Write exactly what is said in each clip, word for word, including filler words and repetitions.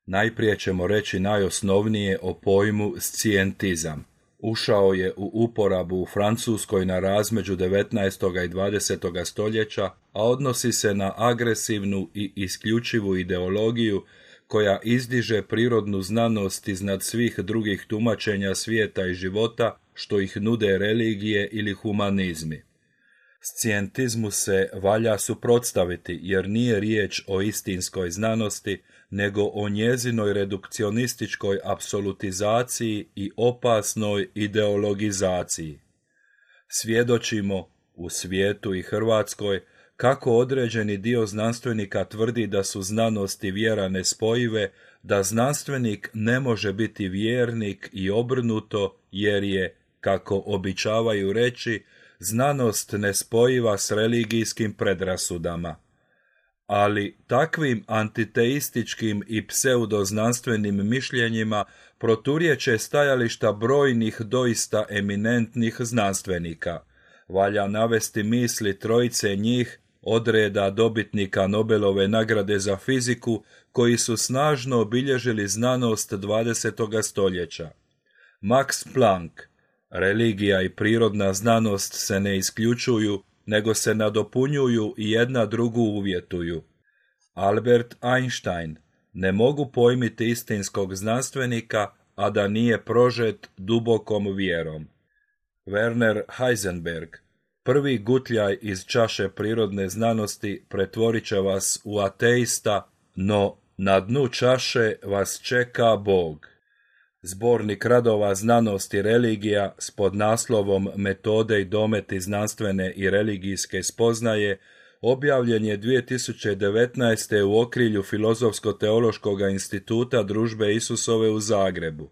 Najprije ćemo reći najosnovnije o pojmu scijentizam. Ušao je u uporabu u Francuskoj na razmeđu devetnaestog i dvadesetog stoljeća, a odnosi se na agresivnu i isključivu ideologiju koja izdiže prirodnu znanost iznad svih drugih tumačenja svijeta i života što ih nude religije ili humanizmi. Scijentizmu se valja suprotstaviti jer nije riječ o istinskoj znanosti, nego o njezinoj redukcionističkoj apsolutizaciji i opasnoj ideologizaciji. Svjedočimo u svijetu i Hrvatskoj kako određeni dio znanstvenika tvrdi da su znanost i vjera nespojive, da znanstvenik ne može biti vjernik i obrnuto jer je, kako običavaju reći, znanost nespojiva s religijskim predrasudama. Ali takvim antiteističkim i pseudoznanstvenim mišljenjima proturječe stajališta brojnih doista eminentnih znanstvenika. Valja navesti misli trojice njih od reda dobitnika Nobelove nagrade za fiziku koji su snažno obilježili znanost dvadesetog stoljeća. Max Planck: religija i prirodna znanost se ne isključuju, nego se nadopunjuju i jedna drugu uvjetuju. Albert Einstein: ne mogu pojmiti istinskog znanstvenika, a da nije prožet dubokom vjerom. Werner Heisenberg: prvi gutljaj iz čaše prirodne znanosti pretvorit će vas u ateista, no na dnu čaše vas čeka Bog. Zbornik radova Znanost i religija s podnaslovom Metode i dometi znanstvene i religijske spoznaje objavljen je dvije tisuće devetnaeste. u okrilju Filozofsko-teološkog instituta Družbe Isusove u Zagrebu.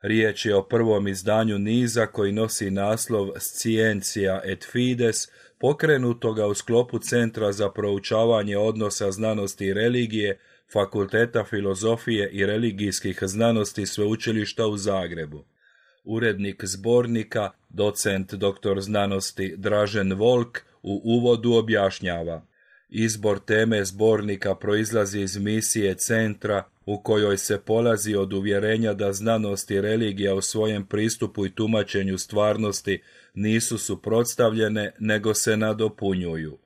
Riječ je o prvom izdanju niza koji nosi naslov Scientia et Fides, pokrenutoga u sklopu Centra za proučavanje odnosa znanosti i religije Fakulteta filozofije i religijskih znanosti Sveučilišta u Zagrebu. Urednik zbornika, docent doktor znanosti Dražen Volk, u uvodu objašnjava: izbor teme zbornika proizlazi iz misije centra u kojoj se polazi od uvjerenja da znanost i religija u svojem pristupu i tumačenju stvarnosti nisu suprotstavljene, nego se nadopunjuju.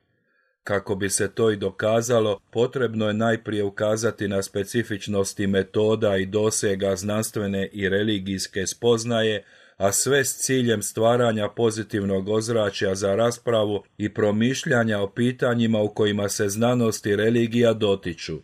Kako bi se to i dokazalo, potrebno je najprije ukazati na specifičnosti metoda i dosega znanstvene i religijske spoznaje, a sve s ciljem stvaranja pozitivnog ozračja za raspravu i promišljanja o pitanjima u kojima se znanost i religija dotiču.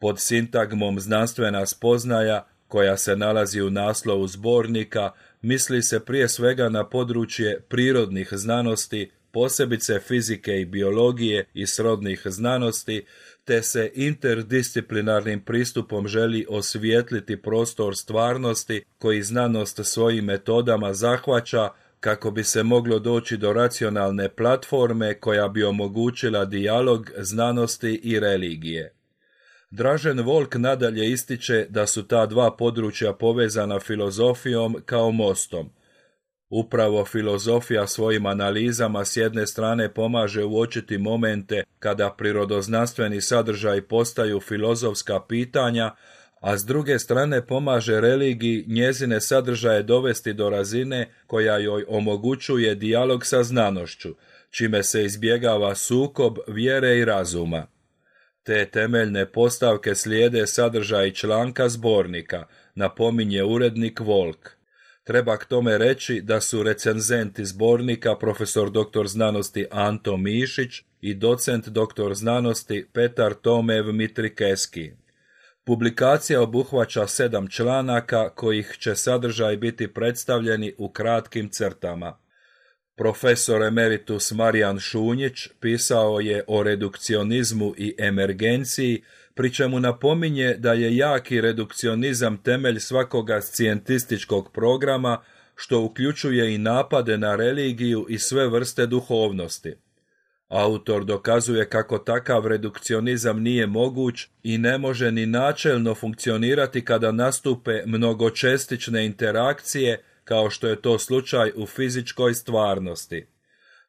Pod sintagmom znanstvena spoznaja, koja se nalazi u naslovu zbornika, misli se prije svega na područje prirodnih znanosti, posebice fizike i biologije i srodnih znanosti, te se interdisciplinarnim pristupom želi osvijetliti prostor stvarnosti koji znanost svojim metodama zahvaća kako bi se moglo doći do racionalne platforme koja bi omogućila dijalog znanosti i religije. Dražen Volk nadalje ističe da su ta dva područja povezana filozofijom kao mostom. Upravo filozofija svojim analizama s jedne strane pomaže uočiti momente kada prirodoznanstveni sadržaji postaju filozofska pitanja, a s druge strane pomaže religiji njezine sadržaje dovesti do razine koja joj omogućuje dijalog sa znanošću, čime se izbjegava sukob vjere i razuma. Te temeljne postavke slijede sadržaj članka zbornika, napominje urednik Volk. Treba k tome reći da su recenzenti zbornika profesor doktor znanosti Anto Mišić i docent doktor znanosti Petar Tomev Mitrikeski. Publikacija obuhvaća sedam članaka kojih će sadržaj biti predstavljeni u kratkim crtama. Profesor emeritus Marijan Šunjić pisao je o redukcionizmu i emergenciji, pri čemu napominje da je jaki redukcionizam temelj svakoga scijentističkog programa, što uključuje i napade na religiju i sve vrste duhovnosti. Autor dokazuje kako takav redukcionizam nije moguć i ne može ni načelno funkcionirati kada nastupe mnogočestične interakcije, kao što je to slučaj u fizičkoj stvarnosti.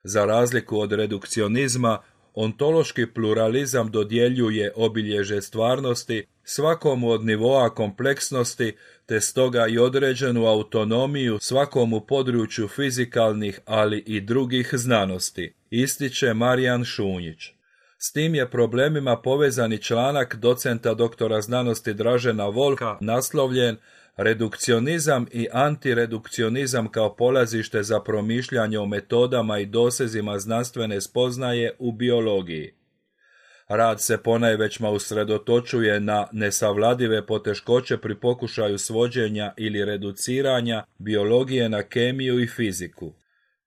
Za razliku od redukcionizma, ontološki pluralizam dodjeljuje obilježje stvarnosti svakomu od nivoa kompleksnosti, te stoga i određenu autonomiju svakomu području fizikalnih, ali i drugih znanosti, ističe Marijan Šunjić. S tim je problemima povezani članak docenta doktora znanosti Dražena Volka naslovljen Redukcionizam i antiredukcionizam kao polazište za promišljanje o metodama i dosezima znanstvene spoznaje u biologiji. Rad se ponajvećma usredotočuje na nesavladive poteškoće pri pokušaju svođenja ili reduciranja biologije na kemiju i fiziku.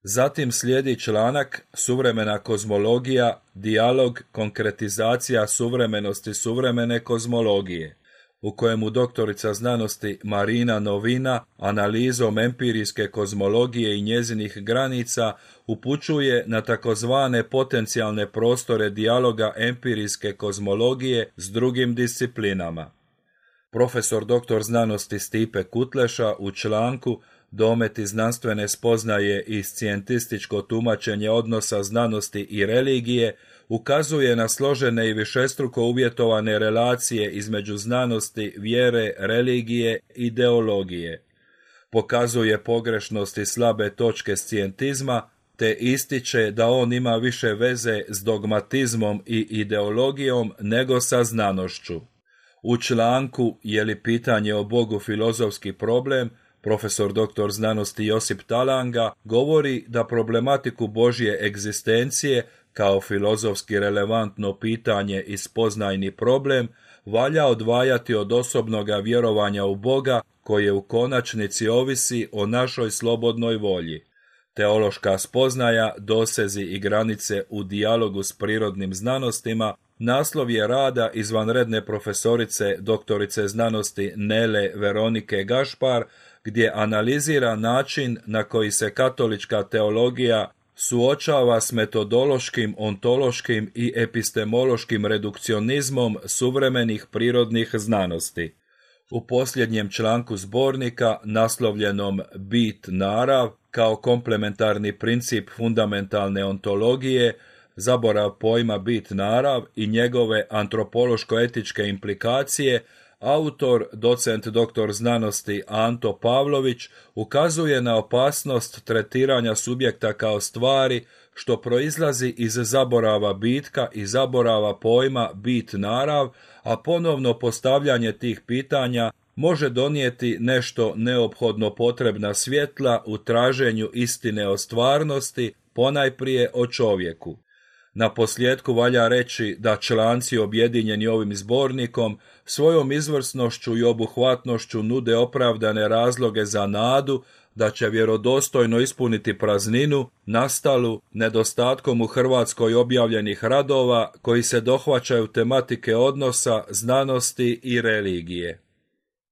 Zatim slijedi članak Suvremena kozmologija, dijalog, konkretizacija suvremenosti suvremene kozmologije, u kojemu doktorica znanosti Marina Novina analizom empirijske kozmologije i njezinih granica upućuje na takozvane potencijalne prostore dijaloga empirijske kozmologije s drugim disciplinama. Profesor doktor znanosti Stipe Kutleša u članku Dometi znanstvene spoznaje i scijentističko tumačenje odnosa znanosti i religije ukazuje na složene i višestruko uvjetovane relacije između znanosti, vjere, religije i ideologije. Pokazuje pogrešnost i slabe točke scijentizma, te ističe da on ima više veze s dogmatizmom i ideologijom nego sa znanošću. U članku Je li pitanje o Bogu filozofski problem, profesor doktor znanosti Josip Talanga govori da problematiku Božje egzistencije kao filozofski relevantno pitanje i spoznajni problem valja odvajati od osobnoga vjerovanja u Boga koje u konačnici ovisi o našoj slobodnoj volji. Teološka spoznaja, dosezi i granice u dijalogu s prirodnim znanostima naslov je rada izvanredne profesorice doktorice znanosti Nele Veronike Gašpar, gdje analizira način na koji se katolička teologija suočava s metodološkim, ontološkim i epistemološkim redukcionizmom suvremenih prirodnih znanosti. U posljednjem članku zbornika, naslovljenom Bit narav, kao komplementarni princip fundamentalne ontologije, zaborav pojma bit narav i njegove antropološko-etičke implikacije, autor, docent doktor znanosti Anto Pavlović ukazuje na opasnost tretiranja subjekta kao stvari, što proizlazi iz zaborava bitka i zaborava pojma bit narav, a ponovno postavljanje tih pitanja može donijeti nešto neophodno potrebna svjetla u traženju istine o stvarnosti, ponajprije o čovjeku. Na posljedku valja reći da članci objedinjeni ovim zbornikom svojom izvrsnošću i obuhvatnošću nude opravdane razloge za nadu da će vjerodostojno ispuniti prazninu nastalu nedostatkom u Hrvatskoj objavljenih radova koji se dohvaćaju tematike odnosa, znanosti i religije.